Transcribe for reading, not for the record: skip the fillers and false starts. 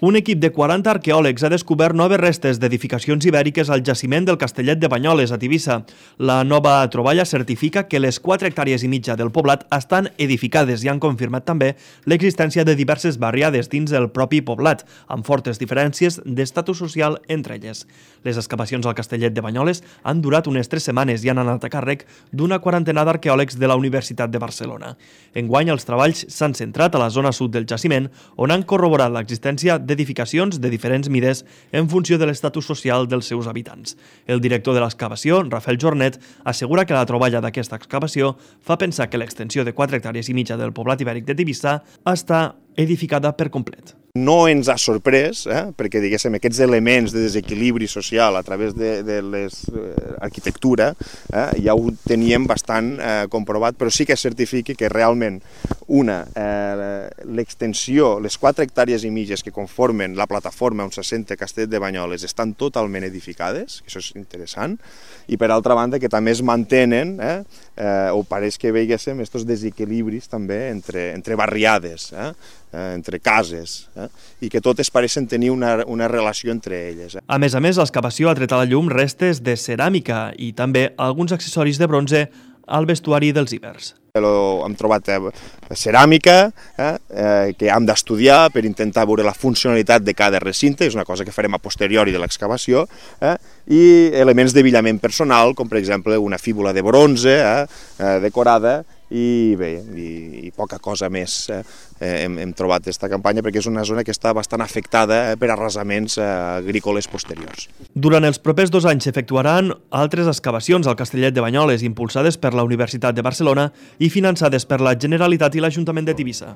Un equip de 40 arqueòlegs ha descobert noves restes d'edificacions ibèriques al jaciment del Castellet de Banyoles, a Tivissa. La nova troballa certifica que les 4 hectàrees i mitja del poblat estan edificades i han confirmat també l'existència de diverses barriades dins del propi poblat, amb fortes diferències d'estatus social entre elles. Les excavacions al Castellet de Banyoles han durat unes 3 setmanes i han anat a càrrec d'una quarantena d'arqueòlegs de la Universitat de Barcelona. Enguany, els treballs s'han centrat a la zona sud del jaciment, on han corroborat l'existència d'edificacions de diferents mides en funció de l'estatus social dels seus habitants. El director de l'excavació, Rafael Jornet, assegura que la troballa d'aquesta excavació fa pensar que l'extensió de 4 hectàrees i mitja del poblat ibèric de Tivissa està edificada per complet. No ens ha sorprès, perquè diguéssim, aquests elements de desequilibri social a través de l'arquitectura ja ho teníem bastant comprovat, però sí que es certifiqui que realment l'extensió, les 4 hectàrees i mitges que conformen la plataforma on s'assenta Castellet de Banyoles estan totalment edificades, això és interessant, i per altra banda que també es mantenen, o pareix que veiéssim, aquests desequilibris també entre barriades, entre cases, i que totes pareixen tenir una relació entre elles. A més, l'excavació ha tret a la llum restes de ceràmica i també alguns accessoris de bronze al vestuari dels ibers. Hem trobat ceràmica que hem d'estudiar per intentar veure la funcionalitat de cada recinte, és una cosa que farem a posteriori de l'excavació, i elements d'abillament personal, com per exemple una fíbula de bronze decorada, i bé, i poca cosa més hem trobat aquesta campanya perquè és una zona que està bastant afectada per arrasaments agrícoles posteriors. Durant els propers 2 anys s'efectuaran altres excavacions al Castellet de Banyoles impulsades per la Universitat de Barcelona i finançades per la Generalitat i l'Ajuntament de Tivissa.